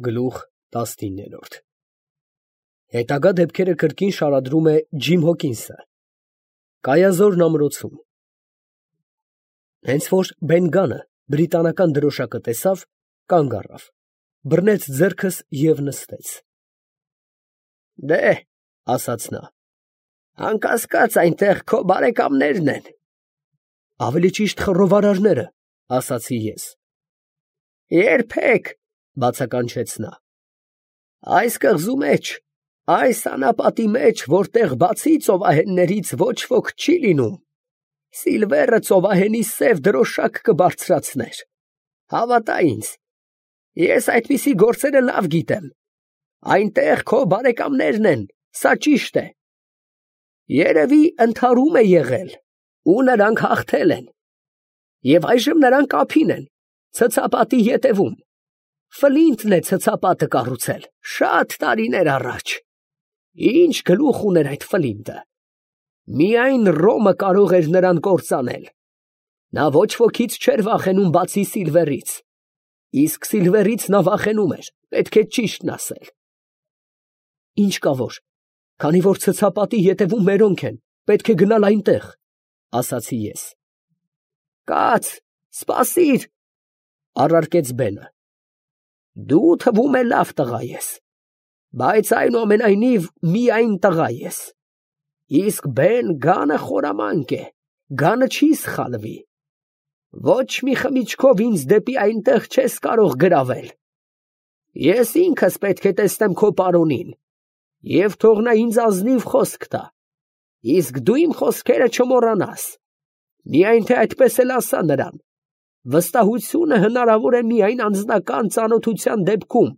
Գլուխ 19 Հետագա դեպքերը կրկին շարադրում է Ջիմ Հոքինսը։ Կայազորն ամրոցում։ Հենց որ Բեն Գանը բրիտանական դրոշակը տեսավ, կանգ առավ, բռնեց ձեռքս և նստեց։ «Դե՛հ, ֊ ասաց նա, ֊ անկասկած այնտեղ քո բարեկամներն են»։ «Ավելի ճիշտ խռովարարները, ֊ ասացի ես։ ֊ Երբեք, ֊ բացականչեց նա, ֊ այս կղզու մեջ, այս անապատի մեջ, որտեղ բացի ծովահեններից ոչ ոք չի լինում, Սիլվերը ծովահենի սև դրոշակ կբարձրացներ, հավատա ինձ, ես այդպիսի գործերը լավ գիտեմ, այնտեղ քո բարեկամներն են, սա ճիշտ է։ Երևի ընդհարում է եղել, ու նրանք հաղթել են, և այժմ նրանք ափին են, ցցապատի ետևում, Ֆլինտն է ցցապատը կառուցել, շատ տարիներ առաջ։ Ինչ գլուխ ուներ այդ Ֆլինտը, միայն Ռոմը կարող էր նրան կործանել, նա ոչ ոքից չէր վախենում բացի Սիլվերից, իսկ Սիլվերից նա վախենում էր, պետք է ճիշտն ասել։ Ինչ կա որ, քանի որ ցցապատի ետևում մերոնք են, պետք է գնալ այնտեղ, ֊ ասացի ես։ Կաց, սպասիր, ֊ առարկեց Բենը, դու թվում է լավ տղա ես, բայց այնուամենայնիվ միայն տղա ես, իսկ Բեն Գանը խորամանկ է, Գանը չի սխալվի, ոչ մի խմիչքով ինձ դեպի այնտեղ չես կարող գրավել, ես ինքս պետք է տեսնեմ քո պարոնին, և թող նա ինձ ազնիվ խոսք տա, իսկ դու իմ խոսքերը չմոռանաս, միայն թե այդպես էլ ասա նրան, վստահությունը հնարավոր է միայն անձնական ծանոթության դեպքում,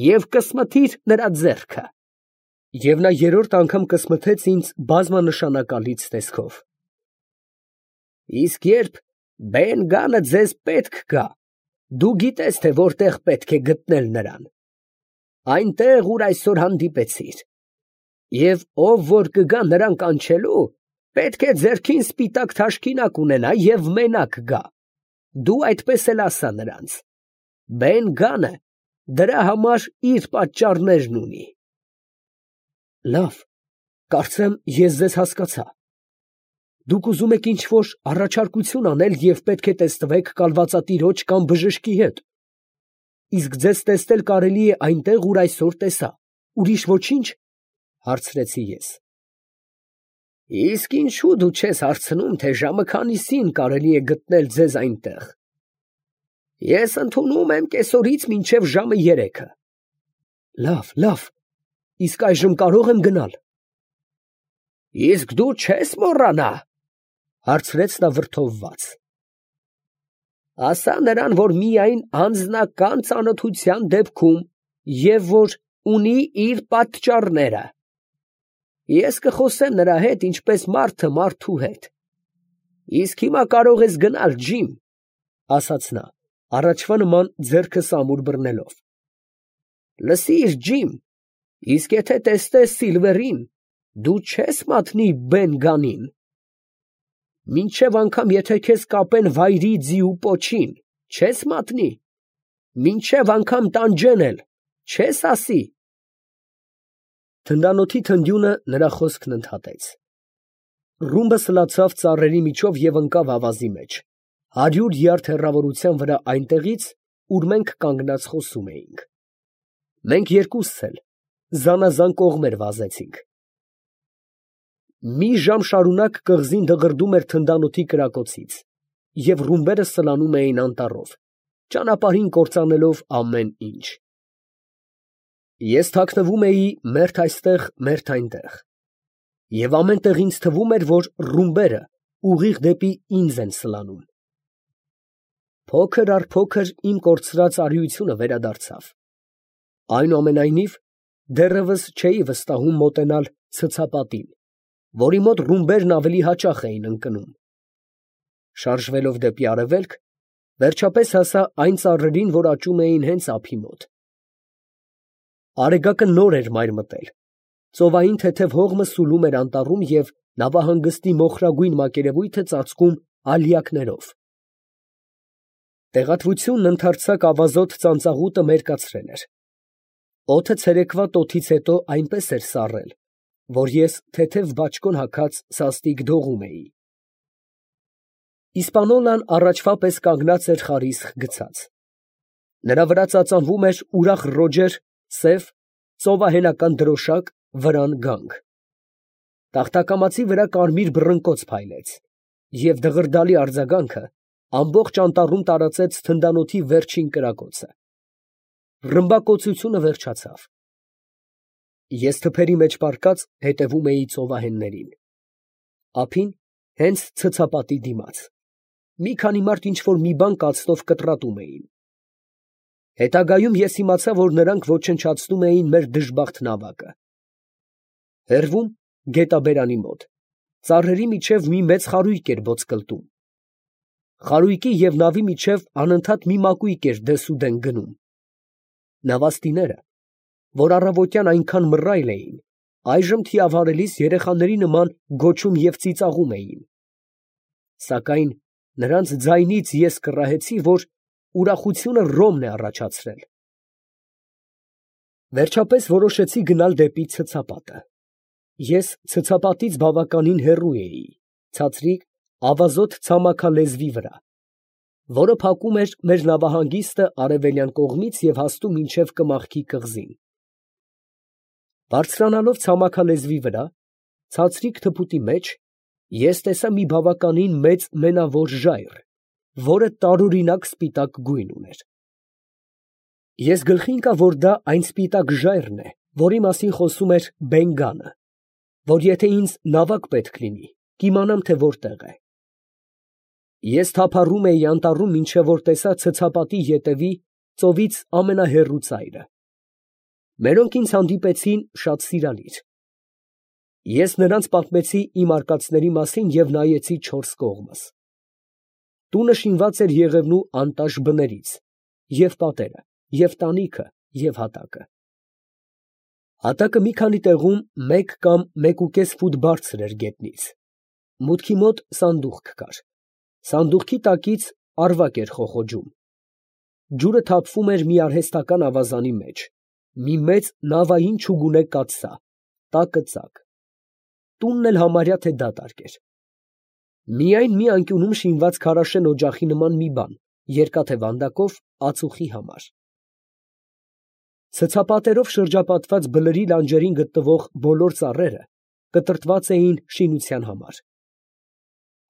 և կսմթիր նրա ձեռքը։ Եվ նա երրորդ անգամ կսմթեց ինձ բազմանշանակալից տեսքով։ Իսկ երբ Բեն Գանը ձեզ պետք գա, դու գիտես, թե որտեղ պետք է գտնել նրան, այնտեղ, ուր այսօր հանդիպեցիր, և ով որ կգա նրան կանչելու, պետք է ձեռքին սպիտակ թաշկինակ ունենա և մենակ գա, դու այդպես էլ ասա նրանց, Բեն Գանը դրա համար իր պատճառներն ունի։ Լավ, կարծեմ ես ձեզ հասկացա, դուք ուզում եք ինչ-որ առաջարկություն անել և պետք է տեսնվեք կալվածատիրոջ կամ բժշկի հետ, իսկ ձեզ տեսնել կարելի է այնտեղ, ուր այսօր տեսա, ուրիշ ոչինչ, ֊ հարցրեցի ես։ Իսկ ինչու դու չես հարցնում, թե ժամը քանիսին կարելի է գտնել ձեզ այնտեղ։ Ես ընդունում եմ կեսօրից մինչև ժամը 3-ը։ Լավ, իսկ այժմ կարող եմ գնալ։ Իսկ դու չես մոռանա, ֊ հարցրեց նա վրդովված։ Ասա նրան, որ միայն անձնական ծանոթության դեպքում և որ ունի իր պատճառները։ Ես կխոսեմ նրա հետ, ինչպես մարդը մարդու հետ։ Իսկ հիմա կարող ես գնալ, Ջիմ, ֊ ասաց նա, առաջվա նման ձեռքը սամուր բռնելով։ Լսիր, Ջիմ, իսկ եթե տեսնես Սիլվերին, դու չես մատնի Բեն Գանին։ Մինչև անգամ եթե քեզ կապեն վայրի ձի ու պոչին, չես մատնի, մինչև անգամ տանջեն էլ, չես ասի։ Թնդանոթի թնդյունը նրա խոսքն ընդհատեց։ Ռումբը սլացավ ծառերի միջով և ընկավ ավազի մեջ, 100 յարդ հեռավորության վրա այնտեղից, ուր մենք կանգնած խոսում էինք։ Մենք երկուսս էլ զանազան կողմեր վազեցինք։ Մի ժամ շարունակ կղզին դղրդում էր թնդանոթի կրակոցից, և ռումբերը սլանում էին անտառով, ճանապարհին կործանելով ամեն ինչ։ Ես թաքնվում էի մերթ այստեղ, մերթ այնտեղ, և ամեն տեղ ինձ թվում էր, որ ռումբերը ուղիղ դեպի ինձ են սլանում։ Փոքր առ փոքր իմ կորցրած արիությունը վերադարձավ։ Այնուամենայնիվ, դեռևս չէի վստահում մոտենալ ցցապատին, որի մոտ ռումբերն ավելի հաճախ էին ընկնում։ Շարժվելով դեպի արևելք, վերջապես հասա այն ծառերին, որ աճում էին հենց ափի մոտ։ Արեգակը նոր էր մայր մտել, ծովային թեթև հողմը սուլում էր անտառում և նավահանգստի մոխրագույն մակերևույթը ծածկում ալյակներով։ Տեղատվությունն ընդարձակ ավազոտ ծանծաղուտը մերկացրել էր, Օդը ցերեկվա տոթից հետո այնպես էր սառել, որ ես թեթև բաճկոն հագած սաստիկ դողում էի։ Իսպանոլան առաջվա պես կանգնած էր խարիսխ գցած։ Նրա վրա ծածանվում էր ուրախ ռոջեր, սև, ծովահենական դրոշակ, վրան գանք։ Տախտակամածի վրա կարմիր բռնկոց փայլեց, և դղրդալի արձագանքը ամբողջ անտառում տարածեց թնդանոթի վերջին կրակոցը։ Ռմբակոծությունը վերջացավ։ Ես թփերի մեջ պառկած հետևում էի ծովահեններին։ Ափին, հենց ցցապատի դիմաց, մի քանի մարդ ինչ֊որ մի բան կացնով կտրատում էին։ Հետագայում ես իմացա, որ նրանք ոչնչացնում էին մեր դժբախտ նավակը։ Հեռվում, գետաբերանի մոտ, ծառերի միջև մի մեծ խարույկ էր ոտսկլտում։ Խարույկի և նավի միջև անընդհատ մի մակույկ էր դեսուդեն գնում։ Նավաստիները, որ առավոտյան այնքան մռայլ էին, այժմ թիավարելիս երեխաների նման գոչում և ծիծաղում էին։ Սակայն նրանց ձայնից ես կռահեցի, որ ուրախությունը ռոմն է առաջացրել։ Վերջապես որոշեցի գնալ դեպի ցցապատը։ Ես ցցապատից բավականին հեռու էի, ցածրիկ, ավազոտ ցամաքալեզվի վրա, որը փակում էր մեր նավահանգիստը արևելյան կողմից և հասնում մինչև Կմախքի կղզին։ Բարձրանալով ցամաքալեզվի վրա, ցածրիկ թփուտի մեջ, ես տեսա մի բավականին մեծ մենավոր ժայռ, որը տարօրինակ սպիտակ գույն ուներ։ Ես գլխի ընկա, որ դա այն սպիտակ ժայռն է, որի մասին խոսում էր Բենգանը, որ եթե ինձ նավակ պետք լինի, կիմանամ, թե որտեղ է։ Ես թափառում էի անտառում, մինչև որ տեսա ցցապատի ետևի ծովից ամենահեռու ծայրը։ Մերոնք ինձ հանդիպեցին շատ սիրալիր։ Ես նրանց պատմեցի իմ արկածների մասին և նայեցի չորս կողմս։ Տունը շինված էր եղևնու անտաշ բներից, և պատերը, և տանիքը, և հատակը։ Հատակը մի քանի տեղում մեկ կամ մեկուկես ֆուտ բարձր էր գետնից։ Մուտքի մոտ սանդուղք կար։ Սանդուղքի տակից ավարակ էր խոխոջում։ Ջուրը թափվում էր մի արհեստական ավազանի մեջ, մի մեծ նավային չուգունե կաթսա, տակը ծակ։ Տունն էլ համարյա թե դատարկ էր։ Միայն մի անկյունում շինված քարաշեն օջախի նման մի բան, երկաթե վանդակով, ածուխի համար։ Ցցապատերով շրջապատված բլրի լանջերին գտնվող բոլոր ծառերը կտրտված էին շինության համար։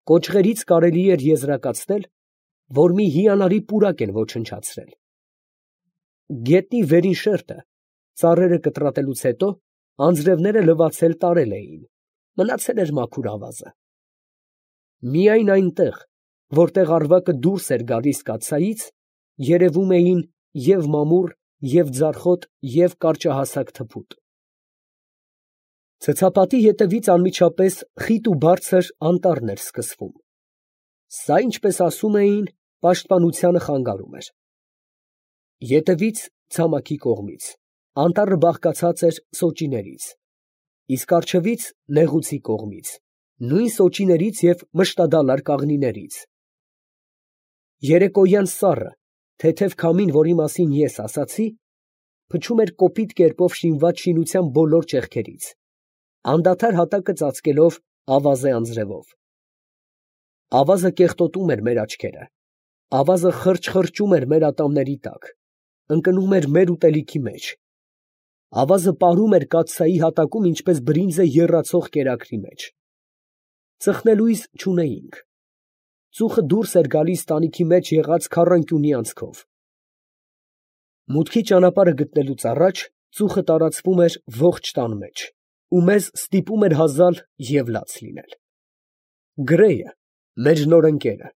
Կոճղերից կարելի էր եզրակացնել, որ մի հիանալի պուրակ են ոչնչացրել։ Գետնի վերին շերտը, ծառերը կտրատելուց հետո, անձրևները լվացել տարել էին, մնացել էր մաքուր ավազը։ Միայն այնտեղ, որտեղ ավարակը դուրս էր գալիս կաթսայից, երևում էին և մամուռ, և ձարխոտ, և կարճահասակ թփուտ։ Ցցապատի ետևից անմիջապես խիտ ու բարձր անտառն էր սկսվում։ Սա, ինչպես ասում էին, պաշտպանությանը խանգարում էր։ Ետևից, ցամաքի կողմից, անտառը բաղկացած էր սոճիներից, իսկ առջևից, նեղուցի կողմից, նույն սոճիներից և մշտադալար կաղնիներից։ Երեկոյան սառը, թեթև քամին, որի մասին ես ասացի, փչում էր կոպիտ կերպով շինված շինության բոլոր ճեղքերից, անդադար հատակը ծածկելով ավազե անձրևով։ Ավազը կեղտոտում էր մեր աչքերը, ավազը խրճխրճում էր մեր ատամների տակ, ընկնում էր մեր ուտելիքի մեջ, ավազը պարում էր կաթսայի հատակում, ինչպես բրինձը եռացող կերակրի մեջ։ Ծխնելույզ չունեինք։ Ծուխը դուրս էր գալիս տանիքի մեջ եղած քառանկյունի անցքով։ Մուտքի ճանապարհը գտնելուց առաջ ծուխը տարածվում էր ողջ տան մեջ, ու մեզ ստիպում էր հազալ և լաց լինել։ Գրեյը, մեր նոր ընկերը,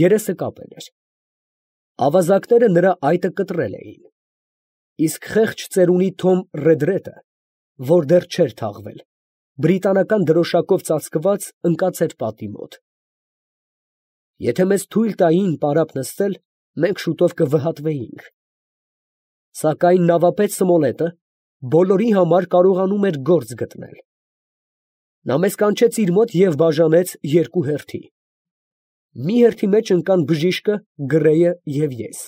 երեսը կապել էր։ Ավազակները նրա այտը կտրել էին, իսկ խեղճ ծերունի Թոմ Ռեդրեդը, որ դեռ չէր թաղվել, բրիտանական դրոշակով ծածկված, ընկած էր պատի մոտ։ Եթե մեզ թույլ տային պարապ նստել, մենք շուտով կվհատվեինք։ Սակայն նավապետ Սմոլետը բոլորի համար կարողանում էր գործ գտնել։ Նա մեզ կանչեց իր մոտ և բաժանեց երկու հերթի։ Մի հերթի մեջ ընկան բժիշկը, Գրեյը և ես,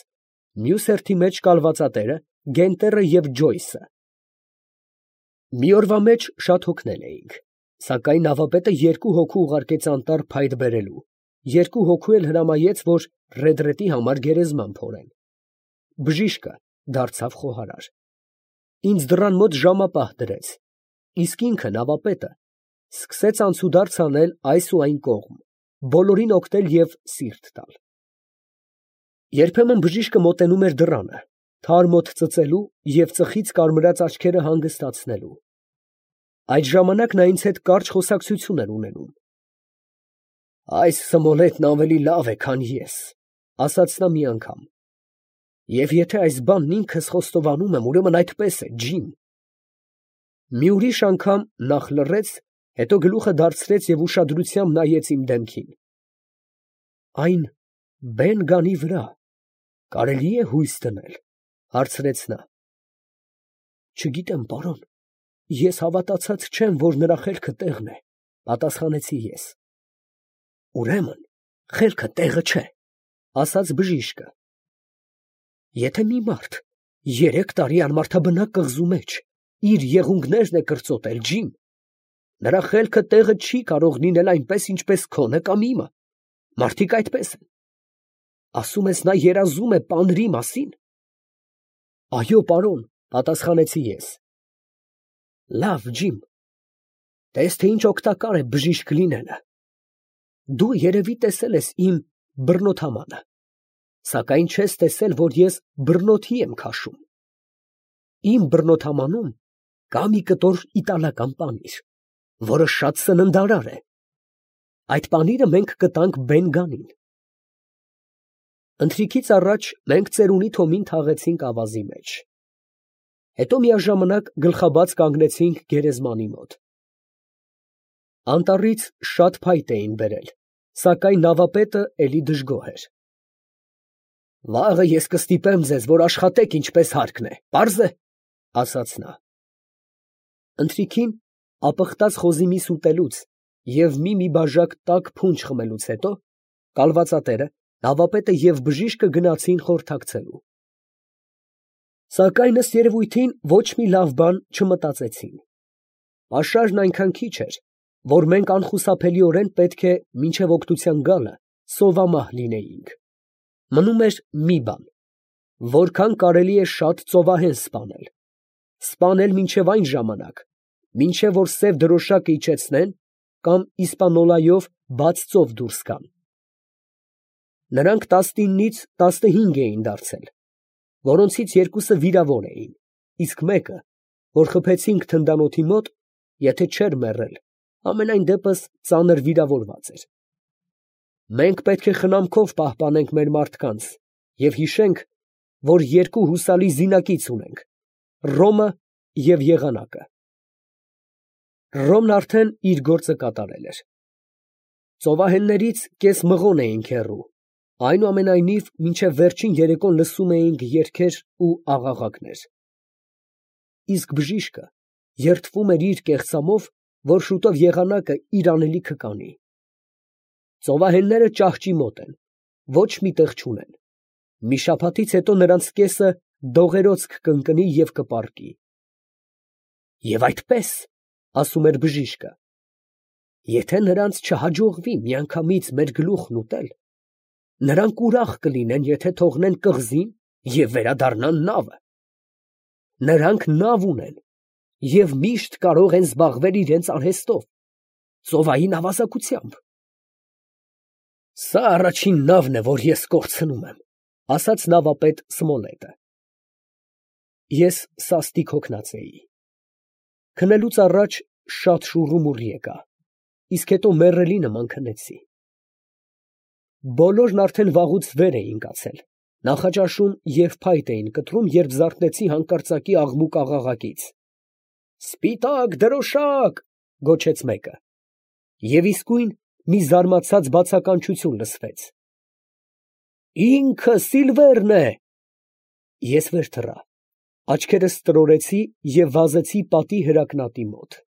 մյուս հերթի մեջ կալվածատերը, Գենտերը և Ջոյսը։ Մի օրվա մեջ շատ հոգնել էինք, սակայն նավապետը երկու հոգու ուղարկեց անտառ փայտ բերելու, երկու հոգու էլ հրամայեց, որ ռեդրետի համար գերեզման փորեն։ Բժիշկը դարձավ խոհարար։ Ինձ դռան մոտ ժամապահ դրեց, իսկ ինքը նավապետը սկսեց անցուդարձ անել այս ու այն կողմ, բոլորին օգնել և սիրտ տալ։ Երբեմն բժիշկը մոտենում էր դռանը, թարմ օդ ծծելու և ծխից կարմրած աչքերը հանգստացնելու։ Այդ ժամանակ նա ինձ հետ կարճ խոսակցություն էր ունենում։ «Այս Սմոլետն ավելի լավ է, քան ես», ֊ ասաց նա մի անգամ, «և եթե այս բանն ինքս խոստովանում եմ, ուրեմն այդպես է, ջին»։ Մի ուրիշ անգամ նախ լռեց, հետո գլուխը դարձրեց և ուշադրությամբ նայեց իմ դեմքին։ «Այն Բեն Գանի վրա կարելի է հույս դնել, ֊ հարցրեց նա։ ֊ Չգիտեմ, պարոն, ես հավատացած չեմ, որ նրա խելքը տեղն է, ֊ պատասխանեցի ես։ ֊ Ուրեմն խելքը տեղը չէ, ֊ ասաց բժիշկը։ Եթե մի մարդ 3 տարի անմարդաբնակ կղզու մեջ իր եղունգներն է կրծոտել, ջին, նրա խելքը տեղը չի կարող լինել այնպես, ինչպես քոնը կամ իմը. մարդիկ այդպես են։ Ասում ես, նա երազում է պանրի մասին։ Այո, պարոն, ֊ պատասխանեցի ես։ Լավ, ջիմ, տես թե ինչ օգտակար է բժիշկ լինելը։ Դու երևի տեսել ես իմ բռնոթամանը, սակայն չես տեսել, որ ես բռնոթի եմ քաշում։ Իմ բռնոթամանում կա մի կտոր իտալական պանիր, որը շատ սննդարար է։ Այդ պանիրը մենք կտանք Բեն Գանին։ Ընթրիքից առաջ մենք ծերունի Թոմին թաղեցինք ավազի մեջ։ Հետո միաժամանակ գլխաբաց կանգնեցինք գերեզմանի մոտ։ Անտառից շատ փայտ էին բերել, սակայն նավապետը էլի դժգոհ էր։ Վաղը ես կստիպեմ ձեզ, որ աշխատեք ինչպես հարկն է, պարզ է, ֊ ասաց նա։ Ընթրիքին ապխտած խոզի միս ուտելուց և մի բաժակ տաք փունջ խմելուց հետո կալվածատերը, նավապետը և բժիշկը գնացին խորհրդակցելու։ Սակայն ըստ երևույթին ոչ մի լավ բան չմտածեցին։ Պաշարն այնքան քիչ էր, որ մենք անխուսափելիորեն պետք է մինչև օգնության գալը սովամահ լինեինք։ Մնում էր մի բան, որքան կարելի է շատ ծովահեն սպանել, սպանել մինչև այն ժամանակ, մինչև որ սև դրոշակը իջեցնեն կամ իսպանոլայով բաց ծով դուրս գան։ Նրանք 19-ից 15 էին դարձել, որոնցից երկուսը վիրավոր էին, իսկ մեկը, որ խփեցինք թնդանոթի մոտ, եթե չէր մեռել, համենայն դեպս ծանր վիրավորված էր։ Մենք պետք է խնամքով պահպանենք մեր մարդկանց և հիշենք, որ երկու հուսալի զինակից ունենք՝ Ռոմը և եղանակը։ Ռոմն արդեն իր գործը կատարել էր։ Ծովահեններից կես մղոն էինք հեռու, այնուամենայնիվ մինչև վերջին երեկոն լսում էինք երգեր ու աղաղակներ։ Իսկ բժիշկը երդվում էր իր կեղծամով, որ շուտով եղանակը իր անելիքը կանի։ Ծովահենները ճահճի մոտ են, ոչ մի տեղ չունեն։ Մի շաբաթից հետո նրանց կեսը դողերոց կընկնի և կպառկի։ Եվ այդպես, ասում էր բժիշկը, եթե նրանց չհաջողվի միանգամից մեր գլուխն ուտել, նրանք ուրախ կլինեն, եթե թողնեն կղզին և վերադառնան նավը։ Նրանք նավ ունեն և միշտ կարող են զբաղվել իրենց արհեստով, ծովային ավազակությամբ։ Սա առաջին նավն է, որ ես կորցնում եմ, ֊ ասաց նավապետ Սմոլետը։ Ես սաստիկ հոգնած էի։ Քնելուց առաջ շատ շուռումուռ եկա, իսկ հետո մեռելի նման քնեցի։ Բոլորն արդեն վաղուց վեր էին կացել, նախաճաշում և փայտ էին կտրում, երբ զարթնեցի հանկարծակի աղմուկ աղաղակից։ «Սպիտակ դրոշակ», ֊ գոչեց մեկը, և իսկույն մի զարմացած բացականչություն լսվեց։ «Ինքը Սիլվերն է»։ Ես վեր թռա, աչքերս տրորեցի և վազեցի պատի հրակնատի մոտ։